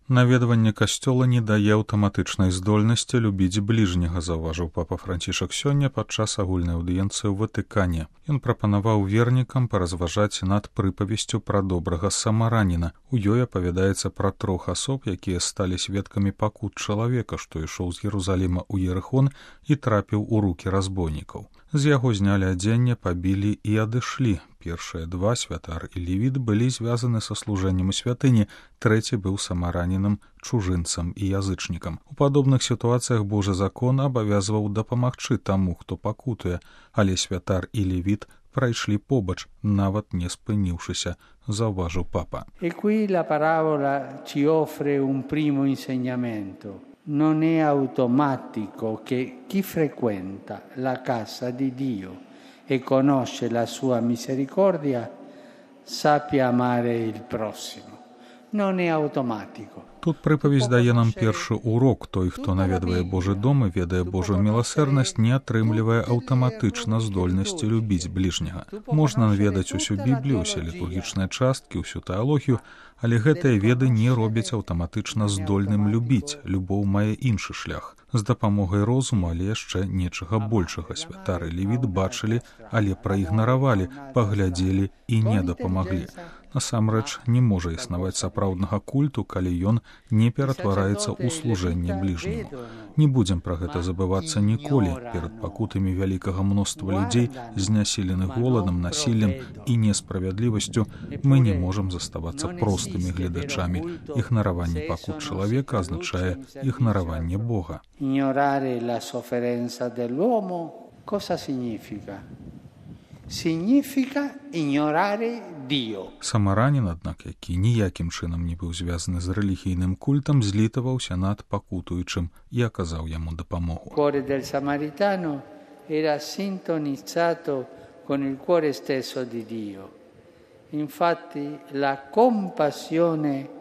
Наведванне касцёла не дае аўтаматычнай здольнасці любіць бліжняга, заўважыў папа Францішак сёння падчас агульнай аўдыенцыі ў Ватыкане. Ён прапанаваў вернікам паразважаць над прыпавесцю пра добрага самараніна. У ёй апавядаецца пра 3 асоб, якія сталі сведкамі пакут чалавека, што ішоў з Єрусаліма ў Ерыхон і трапіў у рукі разбойнікаў. З яго знялі адзенне, пабілі і адышлі. Першыя 2, святар і левіт, былі звязаны са служэннем у святыні, трэці быў самаранінам, чужынцам і язычнікам. У падобных сітуацыях Божы закон абавязваў дапамагчы таму, хто пакутуе, але святар і левіт прайшлі побач, нават не спыніўшыся, заўважыў папа. E qui la parabola ci offre un primo insegnamento. Non è automatico che chi frequenta la casa di Dio e conosce la sua misericordia sappia amare il prossimo. Non è automatico. Тут прыпавесць дае нам першы урок. Той, хто наведвае Божы дом і ведае Божую міласэрнасць, не атрымлівае аўтаматычна здольнасці любіць бліжняга. Можна наведаць усю Біблію, усе літургічныя часткі, усю тэалогію, але гэтыя веды не робяць аўтаматычна здольным любіць. Любоў мае іншы шлях. З дапамогай розуму, але яшчэ нечага большага. Святар і левіт бачылі, але праігнаравалі, паглядзелі і не дапамаглі. Насамрэч, не можа існаваць сапраўднага культу, калі ён не ператвараецца ў служэнне бліжняму. Не будзем пра гэта забывацца ніколі. Перад пакутамі вялікага мноства людзей, знясіленых голадам, насіллем і несправядлівасцю, мы не можам заставацца простымі гледачамі. Ігнараванне пакут чалавека азначае ігнараванне Бога. Ignorare la sofferenza dell'uomo cosa significa? Significa ignorare Dio. Самаранін, аднак, які ніякім чынам не быў звязаны з рэлігійным культам, злітаваўся над пакутуючым і аказаў яму дапамогу. Il cuore del samaritano era sintonizzato con il cuore stesso di Dio. Infatti la compassione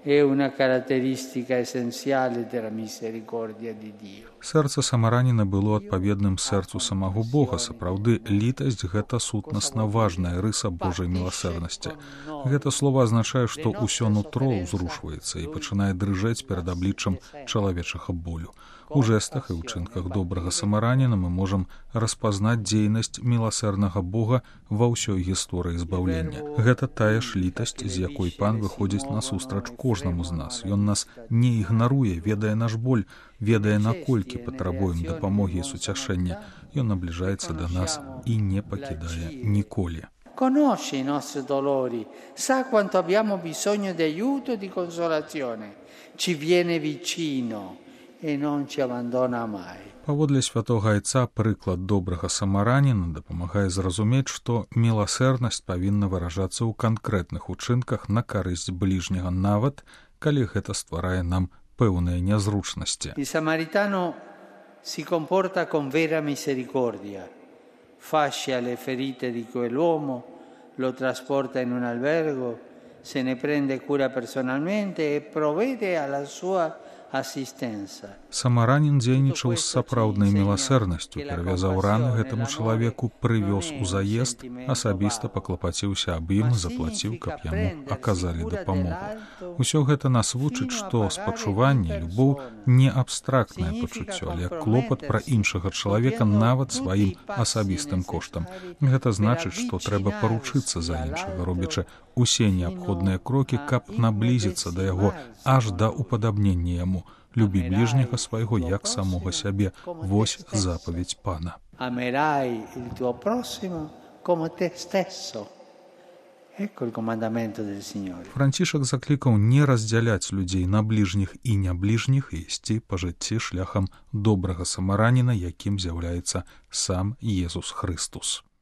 è una caratteristica essenziale della misericordia di Dio. Сэрца самараніна было адпаведным сэрцу самого Бога. Сапраўды, літасць – гэта сутнасна важная рыса Божай міласэрнасці. Гэта слова азначае, што ўсё нутро ўзрушваецца і пачынае дрыжэць перад абліччам чалавечага болю. У жэстах і ўчынках добрага самараніна мы можам распазнаць дзейнасць міласэрнага Бога ва ўсёй гісторыі збаўлення. Гэта тая ж літасць, з якой Пан выходзіць насустрач кожнаму з нас. Ён нас не ігнаруе, ведае наш боль, ведае, наколькі патрабуем дапамогі і суцяшэння. Ён набліжаецца да нас і не пакідае ніколі. Conosce i nostri dolori, sa quanto abbiamo bisogno di aiuto e di consolazione. Ci viene vicino e non ci abbandona mai. Паводле святога айца прыклад добрага самараніна дапамагае зразумець, што міласэрнасць павінна выражацца ў канкрэтных учынках на карысць бліжняга, нават калі гэта стварае нам пэўныя нязручнасці. Il samaritano si comporta con vera misericordia, fascia le ferite di quell'uomo, lo trasporta in un albergo, se ne prende cura personalmente e provvede alla sua assistenza. Самаранін дзейнічаў з сапраўднай міласэрнасцю, перавязаў раны гэтаму чалавеку, прывёз у заезд, асабіста паклапаціўся аб ім, заплаціў, каб яму аказалі дапамогу. Усё гэта нас вучыць, што спачуванне, любоў не абстрактнае пачуццё, але клопат пра іншага чалавека нават сваім асабістым коштам. Гэта значыць, што трэба паручыцца за іншага, робячы усе неабходныя крокі, каб наблізіцца да яго, аж да упадабнення яму. Любі ближнего свайго, як самого сябе. Вось запаведь Пана. Amerai il tuo prossimo come te stesso. Ecco il comandamento del Signore. Францішак заклікаў не раздзяляць людзей на бліжніх і нябліжніх і ісці па жыцці шляхам добрага самараніна, якім з'яўляецца сам Езус Хрыстус.